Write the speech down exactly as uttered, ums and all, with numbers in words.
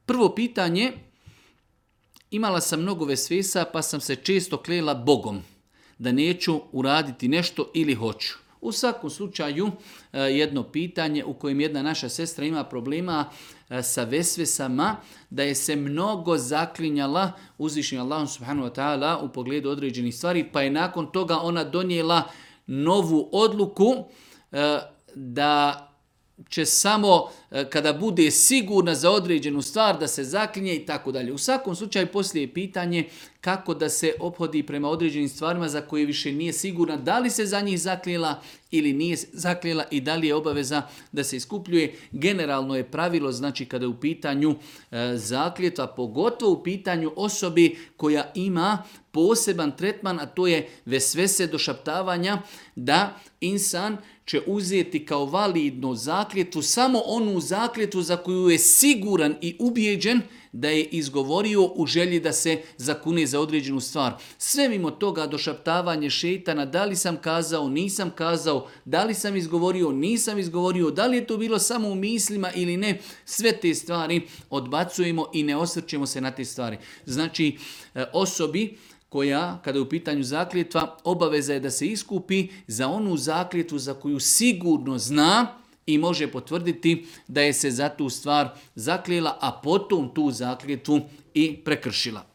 Prvo pitanje, imala sam mnogo vesvesa pa sam se često klela Bogom da neću uraditi nešto ili hoću. U svakom slučaju jedno pitanje u kojem jedna naša sestra ima problema sa vesvesama, da je se mnogo zaklinjala uzvišenim Allahom subhanahu wa ta'ala u pogledu određenih stvari, pa je nakon toga ona donijela novu odluku da će samo kada bude sigurna za određenu stvar da se zaklinje i tako dalje. U svakom slučaju poslije je pitanje kako da se ophodi prema određenim stvarima za koje više nije sigurna da li se za njih zaklijela ili nije zaklijela i da li je obaveza da se iskupljuje. Generalno je pravilo, znači kada je u pitanju e, zakljetva, pogotovo u pitanju osobi koja ima poseban tretman, a to je vesvese došaptavanja, da insan će uzeti kao validnu zakljetvu samo onu zakljetvu za koju je siguran i ubijeđen da je izgovorio u želji da se zakune za određenu stvar. Sve mimo toga došaptavanje šejtana, da li sam kazao, nisam kazao, da li sam izgovorio, nisam izgovorio, da li je to bilo samo u mislima ili ne, sve te stvari odbacujemo i ne osvrćemo se na te stvari. Znači, osobi koja, kada je u pitanju zakljetva, obaveza je da se iskupi za onu zakljetvu za koju sigurno zna i može potvrditi da je se za tu stvar zaklijela, a potom tu zakljetvu i prekršila.